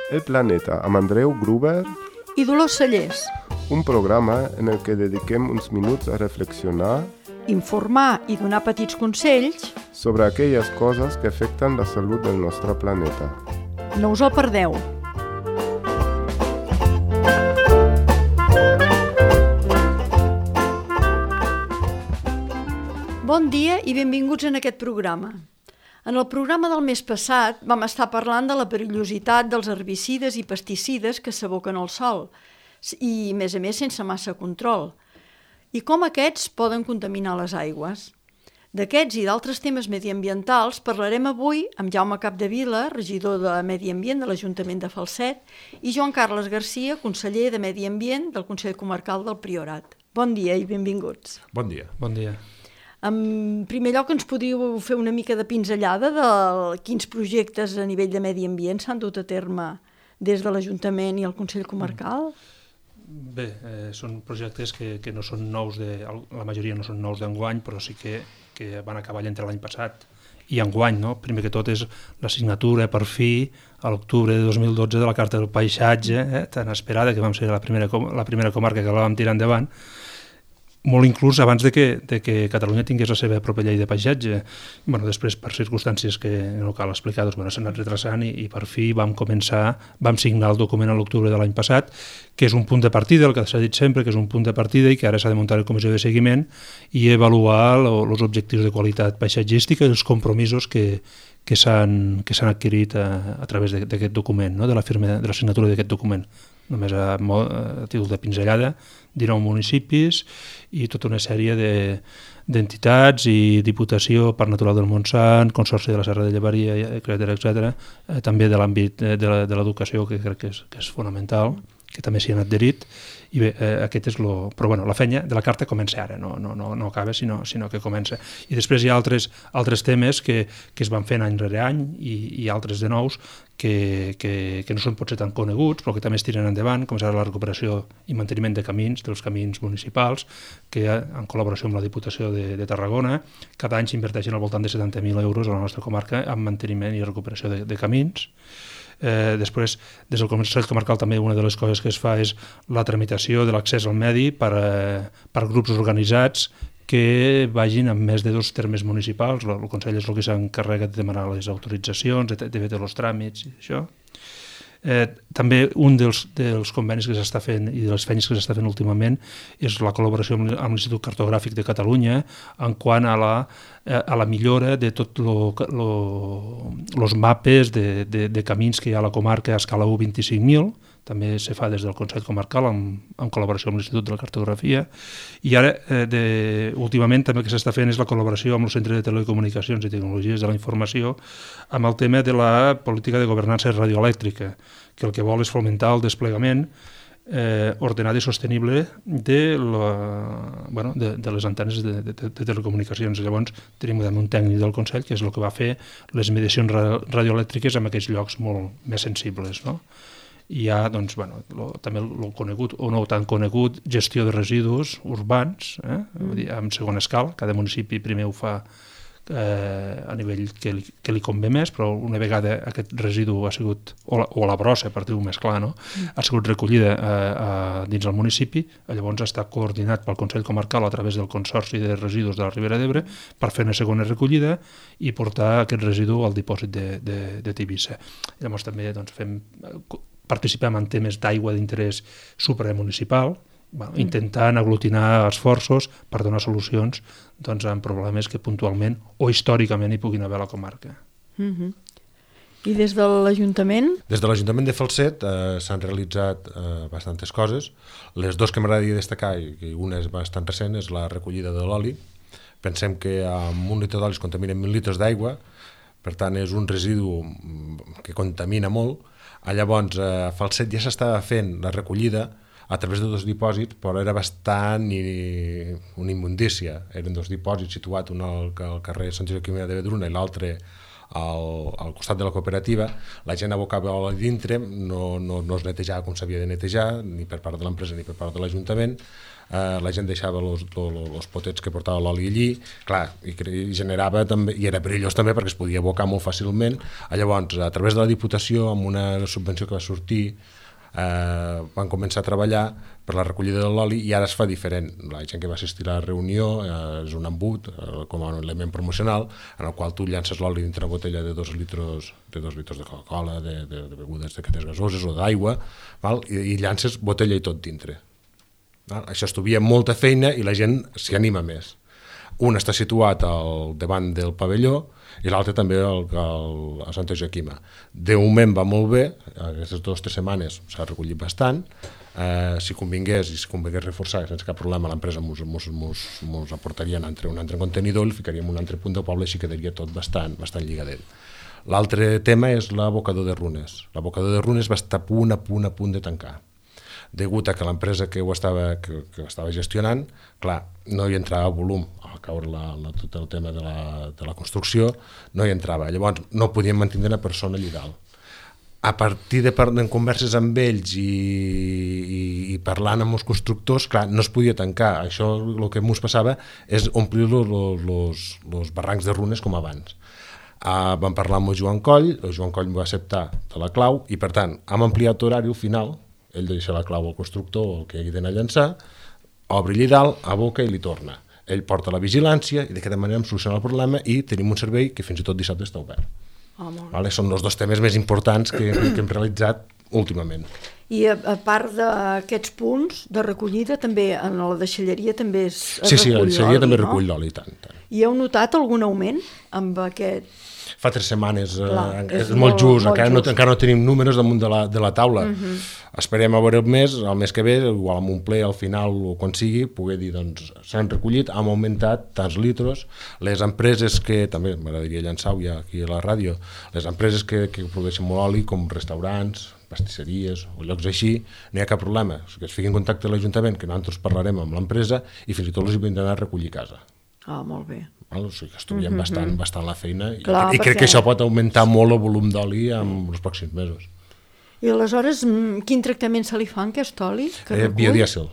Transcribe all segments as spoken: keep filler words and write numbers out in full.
El Planeta amb Andreu Gruber i Dolors Cellers. Un programa en el que dediquem uns minuts a reflexionar, informar i donar petits consells sobre aquelles coses que afecten la salut del nostre planeta. No us el perdeu. Bon dia i benvinguts en aquest programa. En el programa del mes passat vam estar parlant de la perillositat dels herbicides i pesticides que s'aboquen al sòl i, a més a més, sense massa control, i com aquests poden contaminar les aigües. D'aquests i d'altres temes mediambientals parlarem avui amb Jaume Capdevila, regidor de Medi Ambient de l'Ajuntament de Falset, i Joan Carles Garcia, conseller de Medi Ambient del Consell Comarcal del Priorat. Bon dia i benvinguts. Bon dia. Bon dia. En primer lloc, ens podríeu fer una mica de pinzellada de quins projectes a nivell de medi ambient s'han dut a terme des de l'Ajuntament i el Consell Comarcal? Bé, eh, són projectes que, que no són nous, de, la majoria no són nous d'enguany, però sí que, que van acabar entre l'any passat i enguany, no? Primer que tot és la signatura, per fi, a l'octubre de dos mil dotze, de la Carta del Paisatge, eh, tan esperada, que vam ser la primera, la primera comarca que la vam tirar endavant, molt inclús abans de que, de que Catalunya tingués la seva pròpia llei de paisatge. Bueno, després, per circumstàncies que no cal explicar, doncs, bueno, s'ha anat retrasant i, i per fi vam començar, vam signar el document a l'octubre de l'any passat, que és un punt de partida, el que s'ha dit sempre, que és un punt de partida i que ara s'ha de muntar la comissió de seguiment i avaluar els objectius de qualitat paisatgística i els compromisos que, que s'han que s'han adquirit a, a través d'aquest document, no? de la firma, de la signatura d'aquest document. Només a, a títol de pinzellada, dinou municipis i tota una sèrie de, d'entitats i Diputació, Parc Natural del Montsant, Consorci de la Serra de Llevaria, etcètera, etcètera, eh, també de l'àmbit de, de l'educació, que crec que és, que és fonamental, que també s'hi han adherit, i bé, eh, aquest és lo... Però bueno, la feina de la carta comença ara, no, no, no, no acaba, sinó, sinó que comença. I després hi ha altres, altres temes que, que es van fent any rere any i, i altres de nous que, que, que no són potser tan coneguts, però que també es tiren endavant, com serà la recuperació i manteniment de camins, dels camins municipals, que en col·laboració amb la Diputació de, de Tarragona, cada any s'inverteixen al voltant de setanta mil euros a la nostra comarca en manteniment i recuperació de, de camins. Eh, després, des del Consell Comarcal també una de les coses que es fa és la tramitació de l'accés al medi per, eh, per grups organitzats que vagin amb més de dos termes municipals. El, el Consell és el que s'encarrega de demanar les autoritzacions, de, de fer els tràmits i això. Eh, també un dels, dels convenis que s'està fent i de les feines que s'està fent últimament és la col·laboració amb, amb l'Institut Cartogràfic de Catalunya en quant a la, eh, a la millora de tots els mapes de, de, de camins que hi ha a la comarca a escala u vint-i-cinc mil. També se fa des del Consell Comarcal en, en col·laboració amb l'Institut de la Cartografia. I ara, eh, de, últimament, també el que s'està fent és la col·laboració amb el Centre de Telecomunicacions i Tecnologies de la Informació amb el tema de la política de governança radioelèctrica, que el que vol és fomentar el desplegament eh, ordenat i sostenible de, la, bueno, de, de les antenes de, de, de telecomunicacions. Llavors, tenim un tècnic del Consell que és el que va fer les mediacions radioelèctriques en aquells llocs molt més sensibles, no? Hi ha, doncs, bueno, lo, també el conegut o no tan conegut gestió de residus urbans, eh? Mm. Vull dir, en segona escala. Cada municipi primer ho fa eh, a nivell que li, que li convé més, però una vegada aquest residu ha sigut, o la, o la brossa, per dir-ho més clar, no? Mm. ha sigut recollida eh, a, dins del municipi, llavors està coordinat pel Consell Comarcal a través del Consorci de Residus de la Ribera d'Ebre per fer una segona recollida i portar aquest residu al dipòsit de, de, de Tivissa. Llavors també doncs, fem... participem en temes d'aigua d'interès supramunicipal, bueno, intentant aglutinar esforços per donar solucions doncs, en problemes que puntualment o històricament hi puguin haver a la comarca. Mm-hmm. I des de l'Ajuntament? Des de l'Ajuntament de Falset eh, s'han realitzat eh, bastantes coses. Les dues que m'agradaria destacar, i una és bastant recent, és la recollida de l'oli. Pensem que amb un litre d'oli es contaminen mil litres d'aigua, per tant és un residu que contamina molt. Llavors, a Falset ja s'estava fent la recollida a través de dos dipòsits, però era bastant i, una immundícia. Eren dos dipòsits situats, un al, al carrer Sant Joaquim de Vedruna i l'altre al, al costat de la cooperativa, la gent abocava oli dintre, no, no, no es netejava com s'havia de netejar, ni per part de l'empresa ni per part de l'Ajuntament. Uh, la gent deixava els potets que portava l'oli allí, clar, i, i generava també, i era perillós també perquè es podia abocar molt fàcilment. Llavors, a través de la Diputació, amb una subvenció que va sortir, uh, van començar a treballar per la recollida de l'oli i ara es fa diferent. La gent que va assistir a la reunió uh, és un embut, uh, com a un element promocional, en el qual tu llances l'oli dintre una botella de dos litres de dos litres de Coca-Cola, de, de, de begudes d'aquestes gasoses o d'aigua, i, i llances botella i tot dintre. Això estuvia molta feina i la gent s'hi anima més. Un està situat al davant del pavelló i l'altre també al, al, a Santa Joaquima. De moment va molt bé, aquestes dues o tres setmanes s'ha recollit bastant, eh, si convingués i si convingués reforçar sense cap problema l'empresa mos, mos, mos, mos aportaria un altre, un altre contenidor, el ficaríem un altre punt del poble i així quedaria tot bastant, bastant lligadet. L'altre tema és l'abocador de Runes. L'abocador de Runes va estar a punt, a punt, a punt de tancar. Degut a que l'empresa que ho estava, que, que estava gestionant, clar, no hi entrava volum, al caure la, la, tot el tema de la, de la construcció, no hi entrava. Llavors no podíem mantenir una persona allà dalt. A partir de, de converses amb ells i, i, i parlant amb els constructors, clar, no es podia tancar. Això el que ens passava és omplir els barrancs de Runes com abans. Uh, vam parlar amb el Joan Coll, el Joan Coll va acceptar de la clau i per tant hem ampliat horari final. Ell deixa la clau al constructor o el que hagi d'anar a llançar, obre allà dalt, aboca i li torna. Ell porta la vigilància i d'aquesta manera hem solucionat el problema i tenim un servei que fins i tot dissabte està obert. Oh, vale? Són els dos temes més importants que, que hem realitzat últimament. I a, a part d'aquests punts de recollida, també en la deixalleria també es, es sí, sí, recull l'oli, la deixalleria també no? recull l'oli, tant, tant. I heu notat algun augment amb aquest... Fa tres setmanes, Clar, eh, és és molt, molt just, molt encara, just. No, encara no tenim números damunt de la, de la taula. Uh -huh. Esperem a veure el mes, el mes que ve, igual amb un ple al final o quan sigui, poder dir, doncs, s'han recollit, han augmentat tants litres. Les empreses que, també m'agradaria llançar-ho ja aquí a la ràdio, les empreses que, que produeixen molt oli, com restaurants, pastisseries o llocs així, no hi ha cap problema. O sigui, que es fiqui en contacte amb l'Ajuntament, que nosaltres parlarem amb l'empresa i fins i tot els hi vindran a recollir a casa. Ah, molt bé. O sigui que estudiem mm-hmm. bastant, bastant la feina i, Clar, i crec perquè... que això pot augmentar molt el volum d'oli en els pròxims mesos. I aleshores, quin tractament se li fa en aquest oli? Que eh, biodièsel.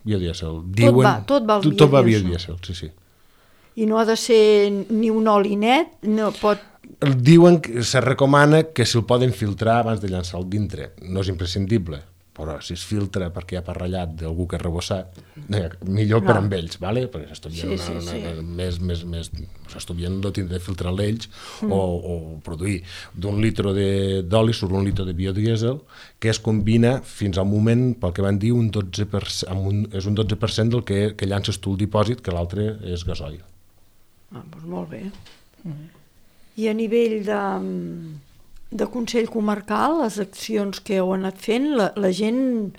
biodièsel. Tot Diuen, va, tot va al tot va biodièsel. biodièsel, sí, sí. I no ha de ser ni un oli net, no pot... Diuen que se recomana que si el poden filtrar abans de llançar-lo dintre. No és imprescindible, però si es filtra perquè hi ha parrellat d'algú que ha rebossat, millor no. per amb ells, ¿vale? Perquè s'estudien sí, sí, sí. més, més, més, s'estudien no tindre de filtrar l'ells mm. o, o produir d'un litre d'oli surt un litre de biodièsel que es combina fins al moment, pel que van dir, un dotze per cent, un, és un dotze per cent del que, que llances tu el dipòsit, que l'altre és gasoil. Ah, doncs molt bé. Mm. I a nivell de... de Consell Comarcal, les accions que heu anat fent, la, la gent...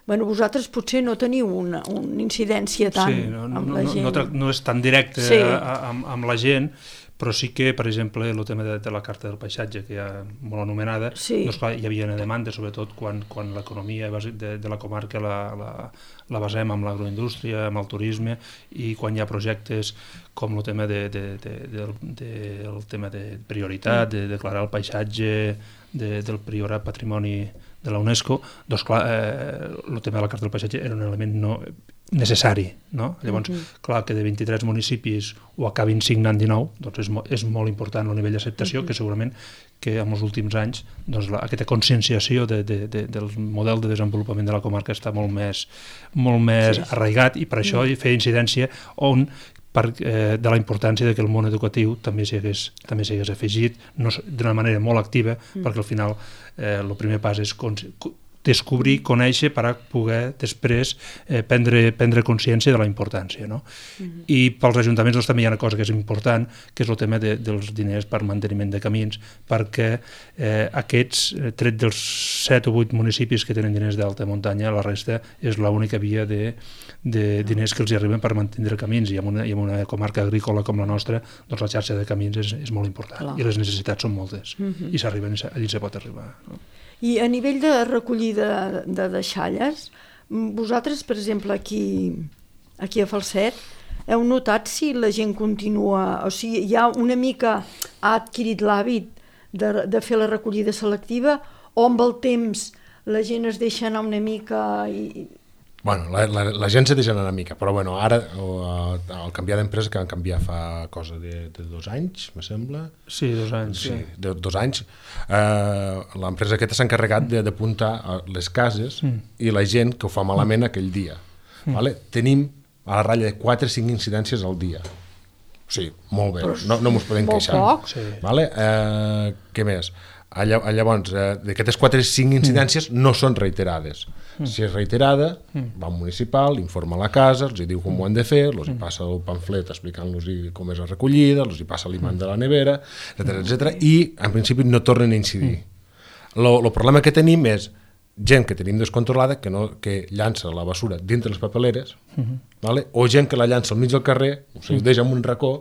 Bueno, vosaltres potser no teniu una, una incidència tant sí, no, amb no, la gent. No, no, no és tan directe sí. a, a, amb, amb la gent, però sí que, per exemple, el tema de, de la Carta del Paisatge, que ja molt anomenada, sí. doncs, clar, hi havia una demanda, sobretot quan, quan l'economia de, de la comarca la, la, la basem amb l'agroindústria, amb el turisme, i quan hi ha projectes com el tema de, de, de, de, de, el tema de prioritat, de declarar el paisatge de, del Priorat Patrimoni de la UNESCO, doncs clar, eh, el tema de la Carta del Paisatge era un element no necessari, no? Llavors, mm-hmm. clar, que de vint-i-tres municipis ho acabin signant dinou, doncs és, mo és molt important el nivell d'acceptació, mm-hmm. que segurament que en els últims anys doncs, la, aquesta conscienciació de, de, de, del model de desenvolupament de la comarca està molt més, molt més sí. arraigat i per això mm-hmm. feia incidència on per, eh, de la importància de que el món educatiu també s'hi hagués, també s'hi hagués afegit no, d'una manera molt activa, mm. perquè al final eh, el primer pas és descobrir, conèixer per a poder després eh, prendre, prendre consciència de la importància. No? Mm-hmm. I pels ajuntaments doncs, també hi ha una cosa que és important, que és el tema de, dels diners per manteniment de camins, perquè eh, aquests, tret dels set o vuit municipis que tenen diners d'alta muntanya, la resta és l'única via de, de diners que els hi arriben per mantenir camins, i en una, i en una comarca agrícola com la nostra, doncs la xarxa de camins és, és molt important. Clar. I les necessitats són moltes, mm-hmm. i s'arriben, allí se pot arribar. No? I a nivell de recollida de deixalles, vosaltres, per exemple, aquí, aquí a Falset, heu notat si la gent continua, o sigui, ja una mica ha adquirit l'hàbit de, de fer la recollida selectiva, o amb el temps la gent es deixa anar una mica i... Bueno, la, la, la gent se deixa anar una mica, però bueno, ara el canviar d'empresa que van canviar fa cosa de, de dos anys, me sembla. Sí, dos anys. Sí, sí. de dos anys. Eh, l'empresa aquesta s'ha encarregat d'apuntar les cases mm. i la gent que ho fa malament mm. aquell dia. Mm. Vale? Tenim a la ratlla de quatre o cinc incidències al dia. O sigui, molt bé, no, no mos podem queixar. Molt poc. Sí. Vale? Eh, què més? Llavors, eh, d'aquestes quatre o cinc incidències mm. no són reiterades. Mm. Si és reiterada, mm. va al municipal, informa a la casa, els hi diu com mm. ho han de fer, els hi passa el pamflet explicant-los com és la recollida, els hi passa l'imant de la nevera, etcètera, etcètera, i en principi no tornen a incidir. El mm. problema que tenim és gent que tenim descontrolada que, no, que llança la basura dintre les papeleres, mm-hmm. vale? O gent que la llança al mig del carrer, o sigui, ho deixa en un racó.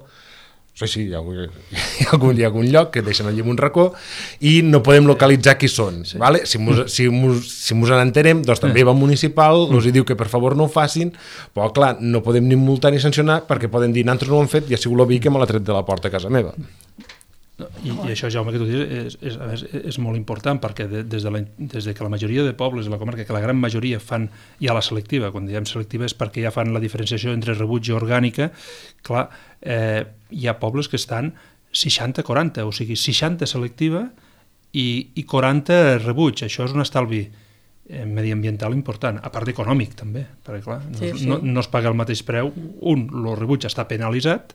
Sí, sí, hi ha, hi, ha algun, hi ha algun lloc que deixen allà en un racó i no podem localitzar qui són. Sí. Vale? Si mos, si mos, si mos en entenem, doncs també va municipal, els diu que per favor no ho facin, però clar, no podem ni multar ni sancionar perquè poden dir, nosaltres no ho hem fet i ha sigut el veí que me l'ha tret de la porta a casa meva. No, i, I això, Jaume, que tu dius, és, és, és, és molt important, perquè de, des, de la, des de que la majoria de pobles de la comarca, que la gran majoria fan ja la selectiva, quan diem selectiva és perquè ja fan la diferenciació entre rebuig i orgànica, clar, eh, hi ha pobles que estan seixanta quaranta, o sigui, seixanta selectiva i, i quaranta rebuig. Això és un estalvi eh, mediambiental important, a part econòmic també, perquè clar, no, sí, sí. No, no es paga el mateix preu, un, el rebuig està penalitzat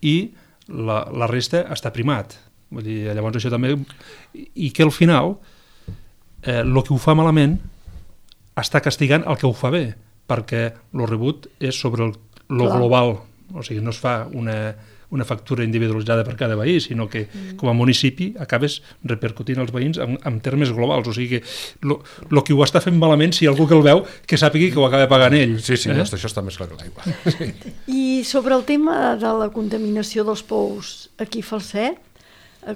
i La, la resta està primat. Vull dir, llavors això també... I que al final, eh, el que ho fa malament està castigant el que ho fa bé, perquè el rebut és sobre el, lo global. O sigui, no es fa una, una factura individualitzada per cada veí, sinó que mm. com a municipi acabes repercutint als veïns en, en termes globals. O sigui, el que ho està fent malament, si algú que el veu, que sàpigui que ho acaba pagant ell. Sí, sí, eh? això està més clar que l'aigua. Sí. I sobre el tema de la contaminació dels pous aquí a Falset,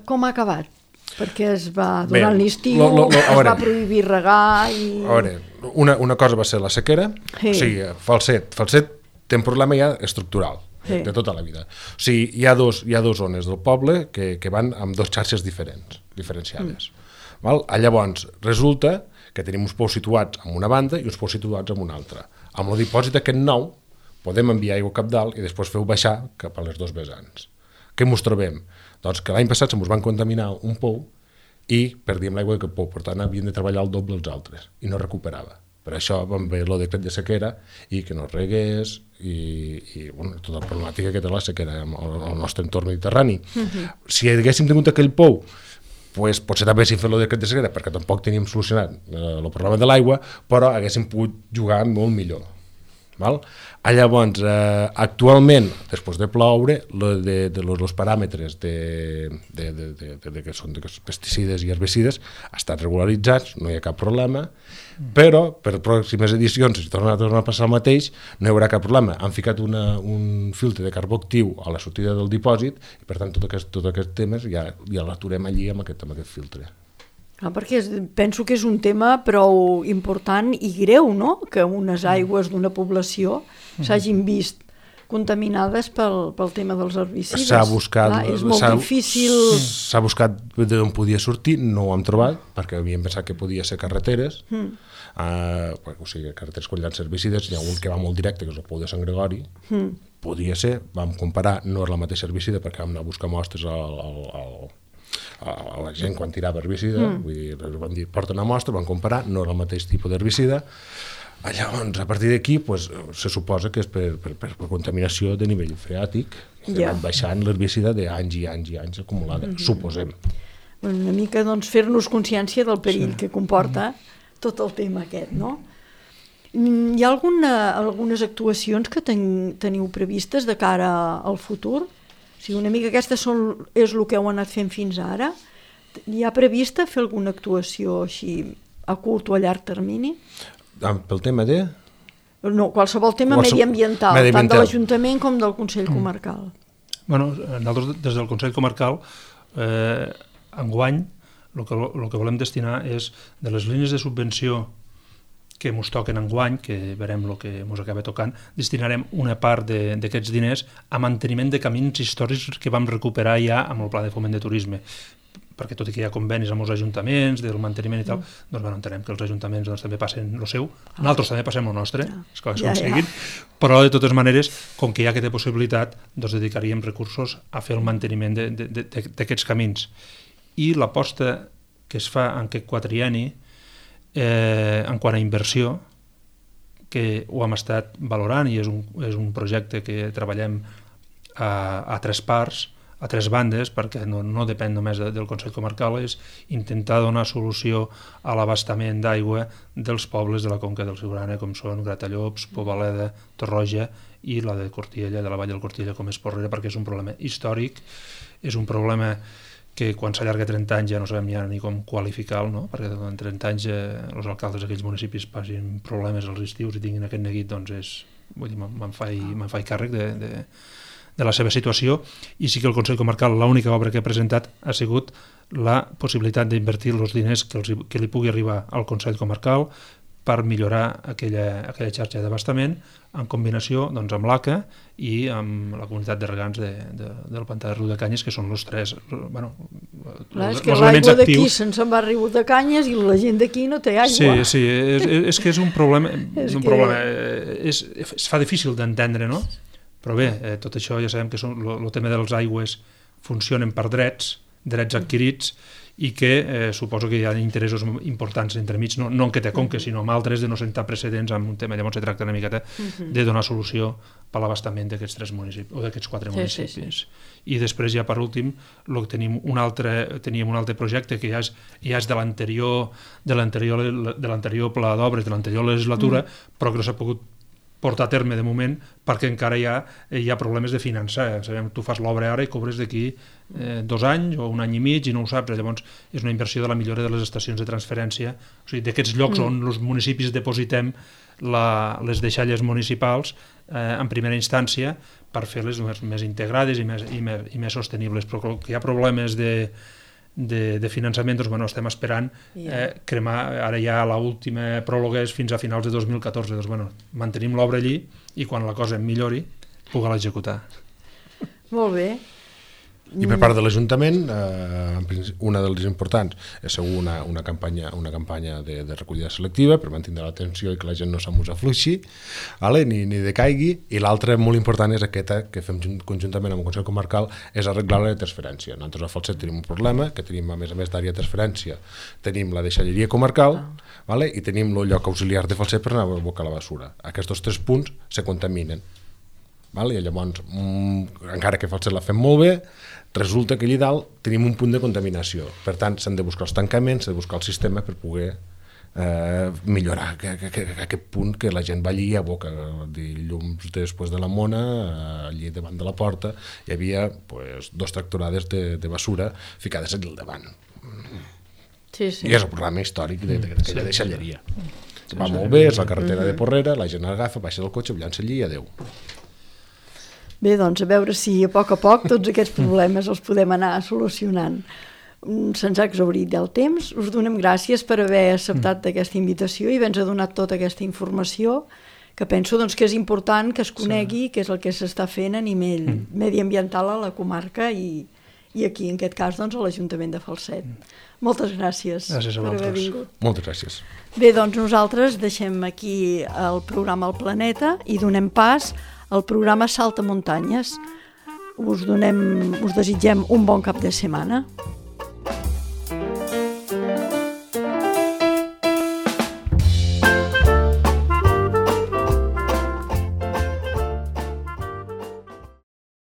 com ha acabat? Perquè es va, durant l'estiu, es va prohibir regar i... A veure, una, una cosa va ser la sequera, sí. O sigui, Falset, Falset té un problema ja estructural. Sí. De tota la vida. O sigui, hi ha dos, hi ha dos zones del poble que, que van amb dos xarxes diferents, diferenciades. Mm. Val? Llavors, resulta que tenim uns pous situats en una banda i uns pous situats en una altra. Amb el dipòsit aquest nou podem enviar aigua cap dalt i després feu baixar cap a les dos vessants. Què ens trobem? Doncs que l'any passat se ens van contaminar un pou i perdíem l'aigua d'aquest pou, per tant havien de treballar el doble els altres i no recuperava. Per això vam veure el decret de sequera i que no es regués i, i bueno, tota la problemàtica que té la sequera al nostre entorn mediterrani. Uh-huh. Si haguéssim tingut aquell pou, pues, potser també haguéssim fet el decret de sequera perquè tampoc teníem solucionat eh, el problema de l'aigua, però haguéssim pogut jugar molt millor. Val? Llavors, eh, actualment, després de ploure, lo de, de los, los paràmetres de, de, de, de, de, de que són de pesticides i herbicides estan regularitzats, no hi ha cap problema, però per pròximes edicions, si torna a, tornar a passar el mateix, no hi haurà cap problema. Han ficat una, un filtre de carbó actiu a la sortida del dipòsit i, per tant, tots aquests tot aquest temes ja, ja l'aturem allí amb aquest, amb aquest filtre. Ah, perquè penso que és un tema prou important i greu, no?, que unes aigües d'una població s'hagin vist contaminades pel, pel tema dels herbicides. S'ha buscat... Clar, és molt difícil... S'ha buscat d'on podia sortir, no ho hem trobat, perquè havíem pensat que podia ser carreteres, mm. uh, o sigui, carreteres quan llança herbicides, hi ha un que va molt directe, que és el pou de Sant Gregori, mm. podia ser, vam comparar, no és la mateixa herbicida, perquè vam anar a buscar mostres al... al, al a la gent quan tirava herbicida, mm. vull dir, van dir, porta una mostra, van comparar, no era el mateix tipus d'herbicida. Llavors, a partir d'aquí, pues, se suposa que és per, per, per, per contaminació de nivell freàtic, que yeah. van baixant l'herbicida d'anys i anys i anys acumulada, mm-hmm. suposem. Una mica, doncs, fer-nos consciència del perill sí. que comporta mm. tot el tema aquest, no? Hi ha alguna, algunes actuacions que ten, teniu previstes de cara al futur? O sigui, una mica aquesta són, és el que heu anat fent fins ara. Hi ha prevista fer alguna actuació així a curt o a llarg termini? Pel tema de? No, qualsevol tema Qualsevol... mediambiental, mediambiental, tant de l'Ajuntament com del Consell mm. Comarcal. Bueno, nosaltres des del Consell Comarcal, eh, enguany, el que, el que volem destinar és de les línies de subvenció que ens toquen enguany, que veurem el que ens acaba tocant, destinarem una part d'aquests diners a manteniment de camins històrics que vam recuperar ja amb el Pla de Foment de Turisme, perquè tot i que hi ha convenis amb els ajuntaments del manteniment i tal, mm. doncs bueno, entenem que els ajuntaments doncs, també passen el seu, nosaltres també passem el nostre, ja. esclar, ja, ja. Però de totes maneres, com que hi ha aquesta possibilitat, doncs dedicaríem recursos a fer el manteniment d'aquests camins. I l'aposta que es fa en aquest quatrienni, eh, en quant a inversió, que ho hem estat valorant i és un, és un projecte que treballem a, a tres parts, a tres bandes, perquè no, no depèn només de, del Consell Comarcal, és intentar donar solució a l'abastament d'aigua dels pobles de la Conca del Siurana, com són Gratallops, Pobaleda, Torroja i la de Cortiella, de la Vall del Cortiella, com és Porrera, perquè és un problema històric, és un problema que quan s'allarga trenta anys ja no sabem ja ni com qualificar-lo, no? Perquè en trenta anys eh, els alcaldes d'aquells municipis passin problemes als estius i tinguin aquest neguit, doncs és, vull dir, me'n faig, me'n faig càrrec de, de, de la seva situació, i sí que el Consell Comarcal l'única obra que ha presentat ha sigut la possibilitat d'invertir els diners que, els, que li pugui arribar al Consell Comarcal per millorar aquella, aquella xarxa d'abastament en combinació doncs, amb l'A C A i amb la comunitat de regants de, de, del Pantà de Riudecanyes, que són els tres bueno, Clar, és que l'aigua d'aquí se'n se'n va a Riudecanyes i la gent d'aquí no té aigua. Sí, sí, és, és que és un problema, és, un que... problema és, es fa difícil d'entendre, no? Però bé, eh, tot això ja sabem que el tema dels aigües funcionen per drets, drets adquirits, i que eh, suposo que hi ha interessos importants entremig, no, no en que té Conca, sinó en altres, de no sentar precedents amb un tema. Llavors se tracta una miqueta de donar solució per l'abastament d'aquests tres municipis, o d'aquests quatre municipis. Sí, sí, sí. I després ja per últim lo, tenim un altre, teníem un altre projecte que ja és, ja és de l'anterior de l'anterior de l'anterior pla d'obres, de l'anterior legislatura, mm. però que no s'ha pogut portar a terme de moment perquè encara hi ha, hi ha problemes de finançar. Sabem, tu fas l'obra ara i cobres d'aquí eh, dos anys o un any i mig i no ho saps. Llavors és una inversió de la millora de les estacions de transferència, o sigui, d'aquests llocs mm. on els municipis depositem la, les deixalles municipals eh, en primera instància per fer-les més, més integrades i més, i, més, i més sostenibles. Però que hi ha problemes de De, de finançament, doncs bueno, estem esperant eh, cremar, ara ja l'última pròrroga és fins a finals de dos mil catorze, doncs bueno, mantenim l'obra allí i quan la cosa millori poder l'executar. Molt bé. I per part de l'Ajuntament, eh, una de les importants és segur una, una campanya, una campanya de, de recollida selectiva per mantenir l'atenció i que la gent no se'm afluixi, vale? ni, ni decaigui, i l'altra molt important és aquesta que fem conjuntament amb el Consell Comarcal, és arreglar la transferència. Nosaltres a Falset tenim un problema, que tenim a més a més d'àrea de transferència, tenim la deixalleria comarcal, ah. vale? I tenim el lloc auxiliar de Falset per anar a abocar la basura. Aquests tres punts se contaminen. Vale? I llavors, mm, encara que Falset la fem molt bé, resulta que allà dalt tenim un punt de contaminació. Per tant, s'han de buscar els tancaments, s'ha de buscar el sistema per poder eh, millorar que, que, que, aquest punt que la gent va allí a boca. Dilluns després de la mona, allí davant de la porta, hi havia pues, dos tractorades de, de basura ficades allà al davant. Sí, sí. I és el programa històric d'aquella sí, deixalleria. Sí, va sí, molt bé, és la carretera de Porrera, la gent agafa, baixa del cotxe, llança allí i adeu. Bé, doncs a veure si a poc a poc tots aquests problemes els podem anar solucionant. Se'ns ha exhaurit el temps. Us donem gràcies per haver acceptat aquesta invitació i haver-nos donat tota aquesta informació, que penso doncs, que és important que es conegui sí. què és el que s'està fent a nivell mm. mediambiental a la comarca i, i aquí, en aquest cas, doncs, a l'Ajuntament de Falset. Mm. Moltes gràcies, gràcies per haver vingut. Moltes gràcies. Bé, doncs nosaltres deixem aquí el programa El Planeta i donem pas al programa Salta Muntanyes. Us donem, us desitgem un bon cap de setmana.